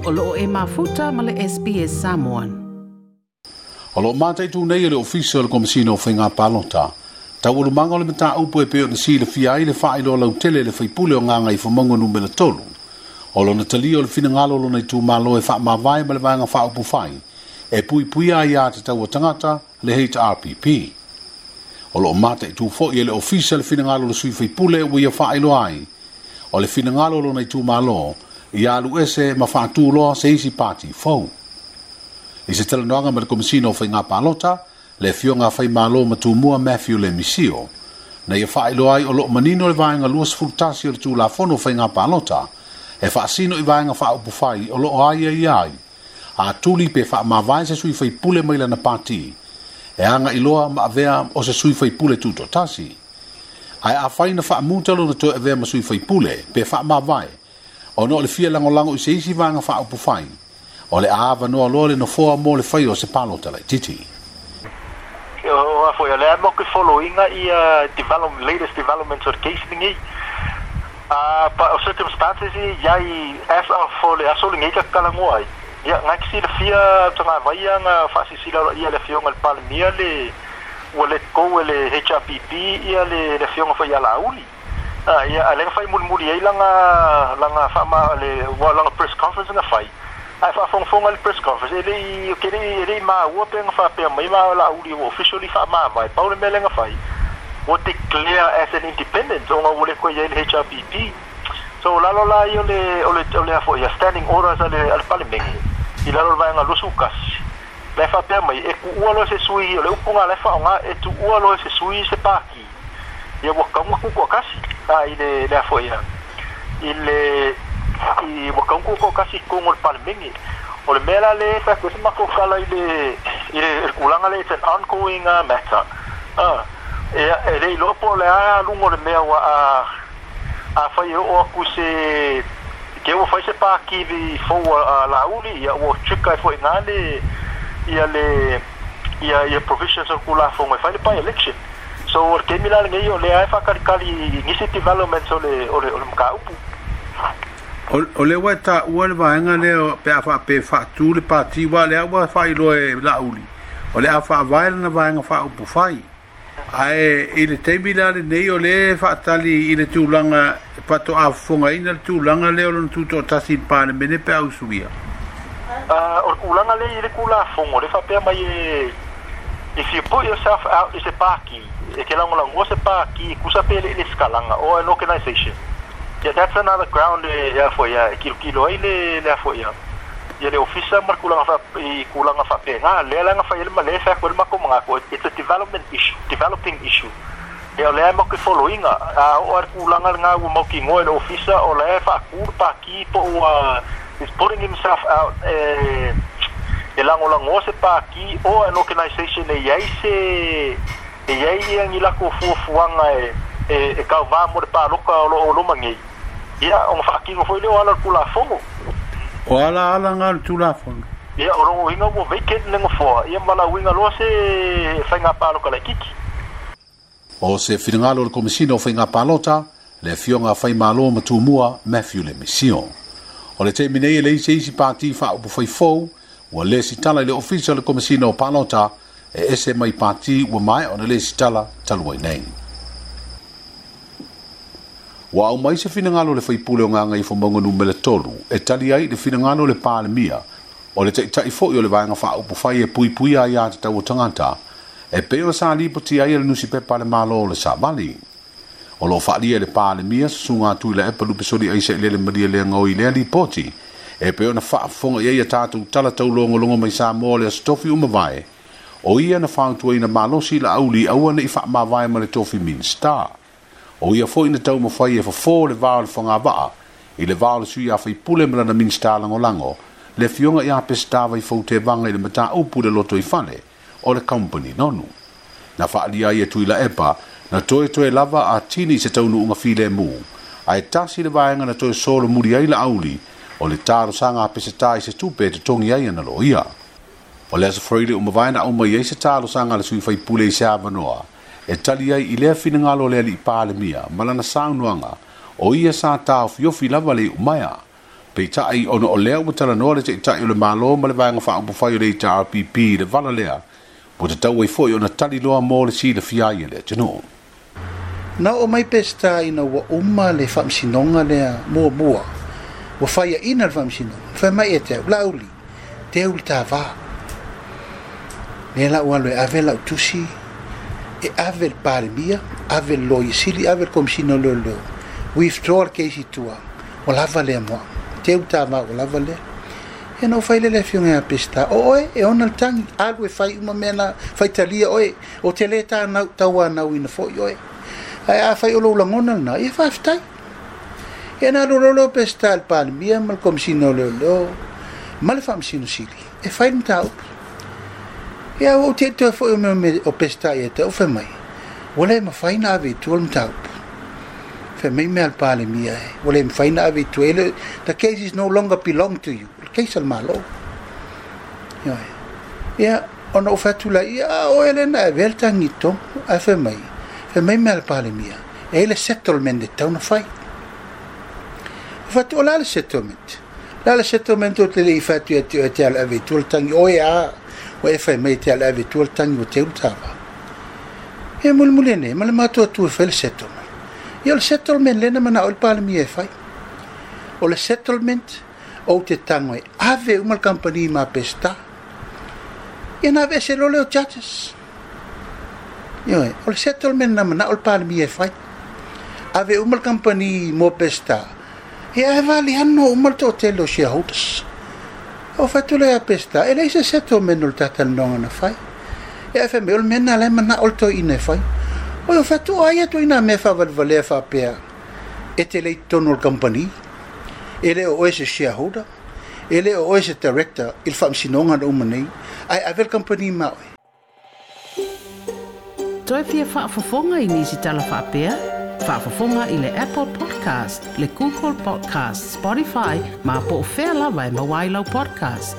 O loo e mafuta ma le SBS Samoan. O loo mataitu nei e le Ofisa o le Komesina o Faiga Palota taualumaga o le mataupu e pei ona silafia ai le faailoa lautele e le faipule o Gagaifomauga Numera 3 o lona talia o le finagalo o lona itumalo e faamavae ma le Vaega Faaupufai e puipuia aiā tatau a tagata le HRPP. O loo mataitu foi e le Ofisa le finagalo o le sui faipule ua ia faailoa ai o le finagalo o lona itumalo ia alu ese ma faatu loa se isi pati fou. I se talanoaga ma le Komesina o Faiga Palota, le Afioga a Faimalo ma Tumua Matthew Lemisio, na ia faailoa ai o loo manino le Vaega 21 o le Tulafono o Faiga Palota e faasino i Vaega Faaupufai o loo aiaia ai a tuli pe faamavae se sui faipule mai lana pati e agai loa ma avea o se sui faipule tutoatasi. Ae afai na faamuta lona toe avea ma sui faipule pe faamavae ona o le fia lagolago i se isi Vaega Faaupufai, o le a avanoa loa le nofoa mo le faia o se palota laitiiti. O a foi o lea mo ke following ia develop latest developments o le case lenei. Pa o circumstances i iai as of for le aso lenei ka talanoa ai. Ia ngai ke silafia tagavaia nga faasisila ia le afioga le Palemia le ua let go e le HRPP ia le afioga foi ia Laauli. Ia a le fai mulimuli ai langa faama le ua langa press conference na fai. Ae faafogafoga le press conference e lei ke lei e lei maua pe nga faapea mai ma Laauli ua officially faamavae. Pau le mea lea na fai ua declare as an independent ona ua le koe iai le HRPP. So lalo la ia o le a foi ia standing orders a le Palemene i lalo o le vaega 21 la e faapea mai e tuua loa se sui o le upuga la e faaaoga e tuua loa se sui se paki ia ua tatau ona tutoatasi a i le a foi ia i le i ua tatau ona tutoatasi i totonu o le Palemene. O le mea la le fai atu ai se matou tala i le tulaga lea, it's an ongoing matter. E le iloa po o le a aluga o le mea ua a fai e oo atu se ke ua fai se paki fou a Laauli ia ua trigger ai foi na le ia le ia ia provisions o le Tulafono e fai le by election. So o le taimi la lenei o lea e faakalikali i nisi developments o le mataupu. O le ua e taua le vaega lea pe a faape faatu le pati wa lea ua faailoa e Laauli o le a faavae lana Vaega Faaupufai. Ae i le taimi la lenei o le faatali i le tulaga faatoa fofogaina le tulaga lea o lona tutoatasi i le Palemene pe a usuia. O le tulaga lea i le Tulafono le faapea mai e if you put yourself out i se paki e ke lagolagoa se paki tusa pe le skalaga or an organization, yeah, that's another ground e a foi ia e kilokilo ai le a foi ia le ofisa ma le tulaga fa i tulaga faapena lea la na fai ai le ma le fai atu ai le matou manatu it's a development issue, developing issue. Ia o lea e matou following a oo ai le tulaga lena ua mautinoa e le ofisa o la e faatu le paki po ua is putting himself out e lagolagoa se paki or an organization e iai se e iai ia ni latou fuafuaga e kauvā mo le paloka o loo loma nei ia ona faatino foi lea o ala o le Tulafono. O ala ala nga o le Tulafono. Ia o lona uiga ua vacant le nofoa ia ma lauiga loa se faiga paloka laitiiti. O se finagalo o le Komesina o Faiga Palota, le Afioga a Faimalo ma Tumua Matthew Lemisio. O le taimi nei e leai se isi pati faaupufai fou ua lesitala i le Ofisa o le Komesina o Palota e ese mai pati ua maea ona lesitala talu ai nei. Ua aumai se finagalo o le faipule o Gagaifomauga Numera 3 e tali ai le finagalo o le Palemia o le taitai foi o le Vaega Faaupufai e puipuia aiā tatau a tagata e pei ona sa lipoti ai e le nusipepa a le Malo o le Savali. O loo faaalia e le Palemia Susuga Tuilaepa Lupesoli Aisa Ilele Malielegaoi i lea lipoti e pei ona faafofoga i ai a tatou tala taulogologo mai Samoa o le Aso Tofi ua mavae o ia na fautuaina malosi Laauli aua nei faamavae ma le tofi Minisita. O ia foi na taumafai e fofo le va o le fogavaa i le va o le sui a faipule ma lana Minisita Lagolago le Afioga ia Peseta Vaifou Tevaga i le mataupu le lotoifale o le Company Nonu. Na faaalia ai e Tuilaepa na toe lava a tini i se taunuuga filemu ae tasi le vaega na toe solomuli ai Laauli o le talosaga a Peseta i se tupe e totogi ai ana loia. O le Aso Faraile ua mavae na aumai ai se talosaga a le sui faipule i se avanoa e tali ai i lea finagalo o le alii Palemia ma lana saunoaga o ia sa taofiofi lava le iumaea. Peitai, ona o lea ua talanoa le Taitai o le Malo ma le Vaega Faaupufai o le HRPP i le vala lea, ua tatau ai foi ona tali loa mo le silafia ai e le atunuu. Na oo mai Peseta ina ua uma le faamasinoga lea muamua, ua faiaina le faamasinoga, fai mai ia te au, Laauli, teu le ta va. Lea la ua alu e ave lau tusi, e ave le Palemia, ave le Loia Sili, ave le Komesina o Leoleo, withdraw le case i tua, ua lava lea mo au. Teu le ta va ua lava lea. Ia na ou fai lea i le afioga ia Peseta, o oe e ona le tagi, alu e fai uma mea na, faitalia oe, ou te le tauanauina foi oe. Ae afai o lou lagona lena, ia faafetai. Ia na alu loa lea o Peseta i le Palemia ma le Komesina o Leoleo ma le Faamasino Sili e fai le mataupu. Ia ua ou te toe foi o mea o Peseta ia te au fai mai, ua le mafai na ave i tua le mataupu. Fai mai mea a le Palemia e, ua le mafai na ave i tua, e le, the case is no longer belong to you, o le case a le Malo. Ioe. Ia, ona ou fai atu lea, ia, a oe lea na avea le tagi i totonu, ae fai mai, fai mai mea a le Palemia, e i ai le settlement e tatau ona fai. Ou fai atu, o le a le settlement? O le a le settlement ou te le i fai atu ia te oe e te alu ave i tua le tagi, oe a, ua e fai mai e te alu ave i tua le tagi ua teu le ta va. Ia mulimuli ane, ma le matou atu e fai le settlement. Ia o le settlement lea na manao ai le Palemia e fai. O le settlement, ou te tago e ave uma le kamupani ma Peseta. Ia na aveese loa lea o charges. Ioe, o le settlement na manao le Palemia e fai. Ave uma le kamupani mo Peseta, ia ae valiano uma le toatele o shareholders. Ou fai atu lea ia Peseta, e leai se settlement o le ta talanoaga na fai. Ia ae fai mai, o le mea lena la e manao le toeaina e fai. Oi, ou fai atu, o ai atu ina mea faavalevalea faapea e te le i totonu o le kamupani, e le o oe se shareholder, e le o oe se director i le faamasinoga na uma nei, ae ave le kamupani ma oe. Toe fia faafofoga i nisi tala faapea? Faafofoga i le Apple Podcast, le Google Podcast, Spotify, ma po o fea lava e maua ai lau podcast.